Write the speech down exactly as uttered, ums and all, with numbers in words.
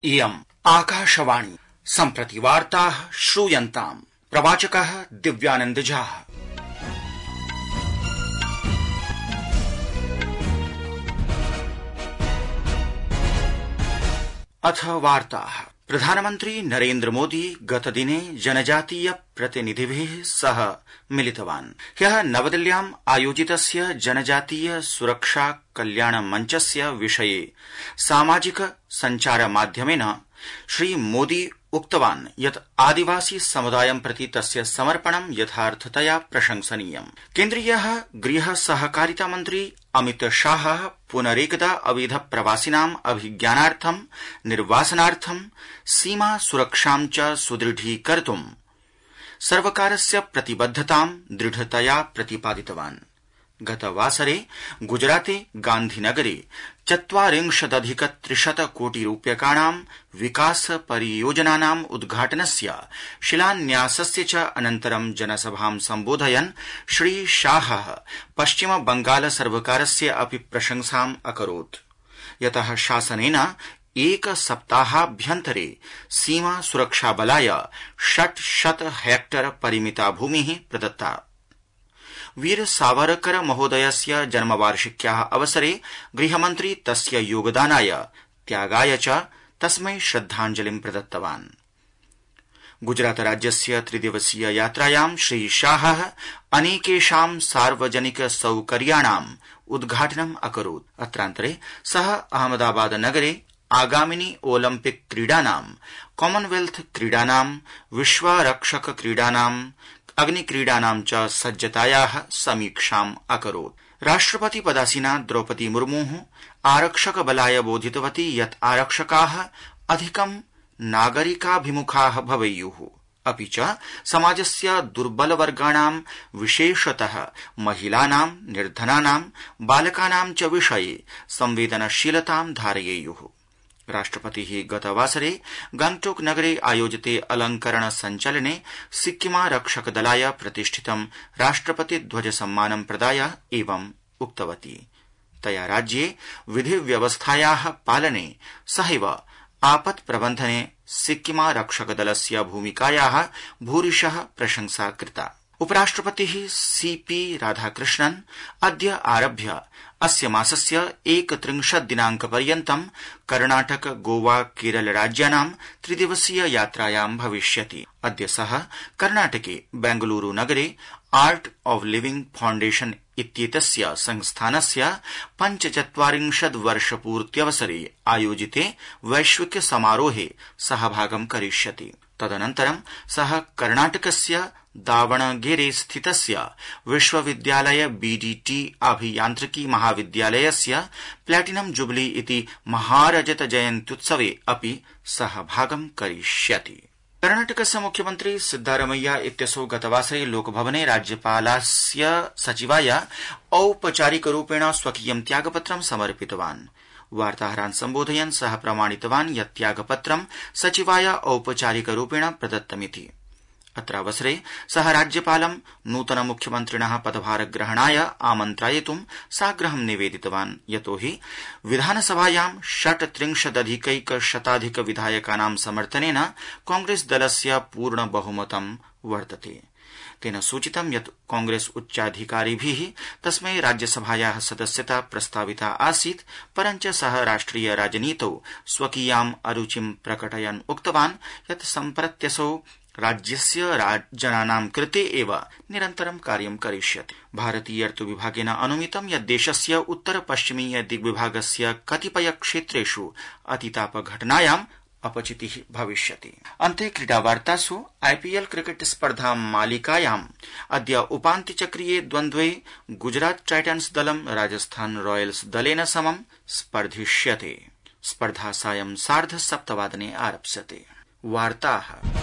इयम् आकाशवाणी सम्प्रति वार्ताः श्रूयन्ताम्। प्रवाचकः दिव्यानंद झा। अथ वार्ताः। प्रधानमन्त्री नरेन्द्र मोदी गतदिने जनजातीय प्रतिनिधिभिः सह मिलितवान्। ह्यः नवदिल्ल्याम् आयोजितस्य जनजातीय सुरक्षा कल्याण मञ्चस्य विषये सामाजिक सञ्चार माध्यमेन श्री मोदी उक्तवान् यत् आदिवासी समुदायं प्रति तस्य समर्पणं यथार्थतया प्रशंसनीयम्। केन्द्रीयः गृह सहकारिता मन्त्री अमित शाहः पुनरेकदा अवैध प्रवासिनाम् अभिज्ञानार्थं निर्वासनार्थं सीमा सुरक्षां च सुदृढीकर्तुं सर्वकारस्य प्रतिबद्धतां दृढतया प्रतिपादितवान्। गतवासरे गुजराते गान्धीनगरे चत्वारिंशदधिक त्रिशत कोटि रूप्यकाणां विकास परियोजनानाम् उद्घाटनस्य शिलान्यासस्य च अनन्तरं जनसभां सम्बोधयन् श्री शाहः पश्चिम बंगाल सर्वकारस्य अपि प्रशंसाम् अकरोत्, यतः शासनेन एक सप्ताहाभ्यन्तरे सीमा सुरक्षा बलाय षट्शत हेक्टर परिमिता भूमिः प्रदत्ता। वीर सावरकर महोदयस्य जन्मवार्षिक्याः अवसरे गृहमन्त्री तस्य योगदानाय त्यागाय च तस्मै श्रद्धाञ्जलिं प्रदत्तवान्। गुजरात राज्यस्य त्रिदिवसीय यात्रायां श्री शाहः अनेकेषां सार्वजनिक सौकर्याणाम् उद्घाटनम् अकरोत्। अत्रान्तरे सः अहमदाबाद नगरे आगामिनि ओलम्पिक क्रीडानां, कॉमनवेल्थ क्रीडानां, विश्वरक्षक क्रीडानां, अग्निक्रीडानां च सज्जतायाः समीक्षाम् अकरोत्। राष्ट्रपति पदासीना द्रौपदी मुर्मुः आरक्षक बलाय बोधितवती यत् आरक्षकाः अधिकं नागरिकाभिमुखाः भवेयुः, अपि च समाजस्य दुर्बलवर्गाणां विशेषतः महिलानां, निर्धनानां, बालकानां च विषये संवेदनशीलतां धारयेयुः। राष्ट्रपतिः गतवासरे गंगटोक नगरे आयोजिते अलंकरण संचलने सिक्किमारक्षकदलाय प्रतिष्ठितं राष्ट्रपति ध्वज सम्मानं प्रदाय एवं उक्तवती। तया राज्ये विधिव्यवस्थायाः पालने सहैव आपत् प्रबन्धने सिक्किमारक्षकदलस्य भूमिकायाः भूरिशः प्रशंसा कृता। उपराष्ट्रपतिः सीपी राधाकृष्णन् अद्य आरभ्य अस्य मासस्य एकत्रिंशत् दिनांकपर्यन्तं कर्णाटक, गोवा, केरल राज्यानां त्रिदिवसीय यात्रायां भविष्यति। अद्य सः कर्णाटके बेंगलुरू नगरे आर्ट ऑफ लिविंग फाउंडेशन इत्येतस्य संस्थानस्य पञ्चचत्वारिंशत् वर्षपूर्त्यवसरे आयोजिते वैश्विक समारोहे सहभागं करिष्यति। तदनन्तरं सः कर्णाटकस्य दावणगेरे स्थितस्य विश्वविद्यालय बीडीटी अभियान्त्रिकी महाविद्यालयस्य प्लैटिनम जुबली इति महारजत जयन्त्युत्सवे अपि सहभागं करिष्यति। कर्णाटकस्य मुख्यमन्त्री सिद्धारमैया इत्यसौ गतवासरे लोकभवने राज्यपालस्य सचिवाय औपचारिकरूपेण स्वकीयं त्यागपत्रं समर्पितवान्। वार्ताहरान् सम्बोधयन् सः प्रमाणितवान् यत् त्यागपत्रं सचिवाय औपचारिकरूपेण प्रदत्तमिति। अत्रावसरे सः राज्यपालं नूतन मुख्यमन्त्रिणः पदभारग्रहणाय आमन्त्रयितुं साग्रहं निवेदितवान्, यतोहि विधानसभायां षट्त्रिंशदधिकैकशताधिक विधायकानां समर्थनेन कांग्रेस दलस्य पूर्ण बहुमतं वर्तते। तेन सूचितं यत् कांग्रेस उच्चाधिकारिभिः तस्मै राज्यसभायाः सदस्यता प्रस्ताविता आसीत्, परञ्च सः राष्ट्रिय राजनीतौ स्वकीयाम् अरुचिं प्रकटयन् उक्तवान् यत् सम्प्रत्यसौ राज्यस्य जनानां कृते एव निरन्तरं कार्यं करिष्यति। भारतीय ऋतुविभागेन अनुमितं यत् देशस्य उत्तर पश्चिमीय दिग्विभागस्य कतिपय क्षेत्रेषु अतितापघटनायाम् अपचितिः भविष्यति। अन्ते क्रीडावार्तासु आईपीएल क्रिकेट स्पर्धा मालिकायाम् अद्य उपान्त्यचक्रीये द्वन्द्वे गुजरात टाइटन्स दलं राजस्थान रॉयल्स दलेन समं स्पर्धिष्यते। स्पर्धा सायं सार्ध सप्तवादने आरप्स्यते। वार्ताः